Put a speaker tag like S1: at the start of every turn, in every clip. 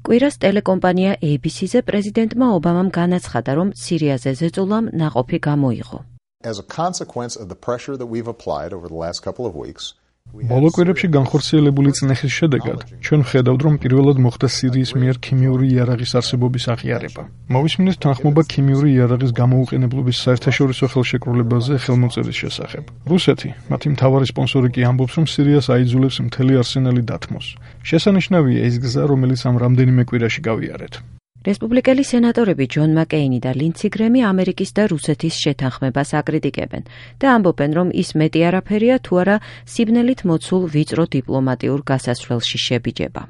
S1: კვირას ტელეკომპანია ABC-ზე პრეზიდენტმა ობამამ განაცხადა, რომ სირიაზე ზეწოლამ ნაყოფი გამოიღო.
S2: As a consequence of the pressure that we've applied over the last couple of weeks,
S3: ბოლო კვირებში განხორციელებული წნეხის შედეგად ჩვენ ვხედავთ, რომ პირველად მოხდა სირიის მიერ ქიმიური იარაღის არსებობის აღიარება. მოვისმინეთ თანხმობა ქიმიური იარაღის გამოუყენებლობის საერთაშორისო ხელშეკრულებაზე ხელმოწერის შესახებ. რუსეთი, მათი მთავარი სპონსორი კი ამბობს, რომ სირიას აიძულებს მთელი არსენალი დათმოს. შესანიშნავია ის გზა, რომელიც ამ რამდენიმე კვირაში გავიარეთ.
S1: რესპუბლიკელი სენატორები ჯონ მაკეინი და ლინდსი გრემი ამერიკის და რუსეთის შეთანხმებას აკრიტიკებენ და ამბობენ, რომ ის მეტი არაფერია თუ არა სიბნელით მოცულ ვიწრო დიპლომატიურ გასასვლელში შებიჯება.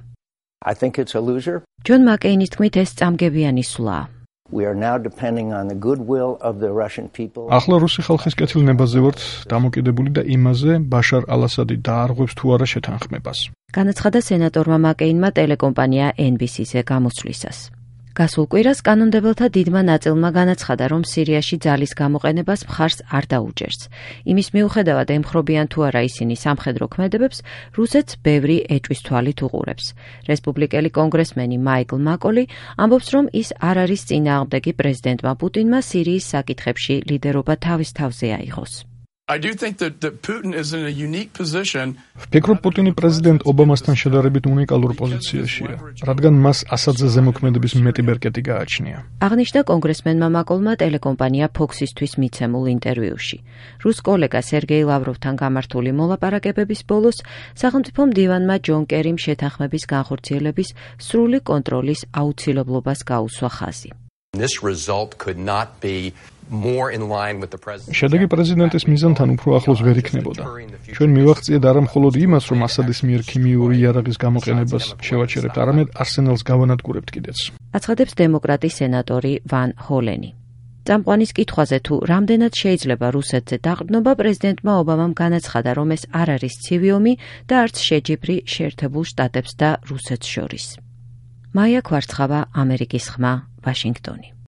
S1: ჯონ მაკეინის თქმით, ეს წამგებიანი სვლაა.
S3: ახლა რუსი ხალხის კეთილნებაზე ვართ დამოკიდებული და იმაზე, ბაშარ ალ-ასადი დაარღვევს თუ არა შეთანხმებას.
S1: განაცხადა სენატორმა მაკეინმა ტელეკომპანია NBC-ზე გამოსვლისას. გასულ კვირას კანონმდებელთა დიდმა ნაწილმა განაცხადა, რომ სირიაში ძალის გამოყენებას მხარს არ დაუჭერს. იმის მიუხედავად ემხრობიან თუ არა ისინი სამხედრო ქმედებებს, რუსეთს ბევრი ეჭვის თვალით უყურებს. რესპუბლიკელი კონგრესმენი მაიკლ მაკოლი ამბობს, რომ ის არ არის წინააღმდეგი პრეზიდენტმა პუტინმა სირიის საკითხებში ლიდერობა თავის თავზე აიღოს.
S3: ვფიქრობ, პუტინი პრეზიდენტ ობამასთან შედარებით უნიკალურ პოზიციაშია, რადგან მას ასადზე ზემოქმედების მეტი ბერკეტი გააჩნია.
S1: აღნიშნა კონგრესმენმა მაკოლმა ტელეკომპანია Fox-ისთვის მიცემულ ინტერვიუში. რუს კოლეგა სერგეი ლავროვთან გამართული მოლაპარაკებების ბოლოს სახელმწიფო მდივანმა ჯონ კერიმ შეთანხმების განხორციელების სრული კონტროლის აუცილებლობას გაუსვა ხაზი.
S3: შედეგი პრეზიდენტის მიზანთან უფრო ახლოს ვერ იქნებოდა. ჩვენ მივაღწიეთ არა მხოლოდ იმას, რომ ასადის მიერ ქიმიური იარაღის გამოყენებას შევაჩერებთ, არამედ არსენალს გავანადგურებთ კიდეც.
S1: აცხადებს დემოკრატი სენატორი ვან ჰოლენი. წამყვანის კითხვაზე თუ რამდენად შეიძლება რუსეთზე დაყრდნობა, პრეზიდენტმა ობამამ განაცხადა, რომ ეს არ არის ცივი ომი და არც შეჯიბრი შეერთებულ შტატებს და რუსეთს შორის. მაია ქვარცხავა, ამერიკის ხმა, ვაშინგტონი.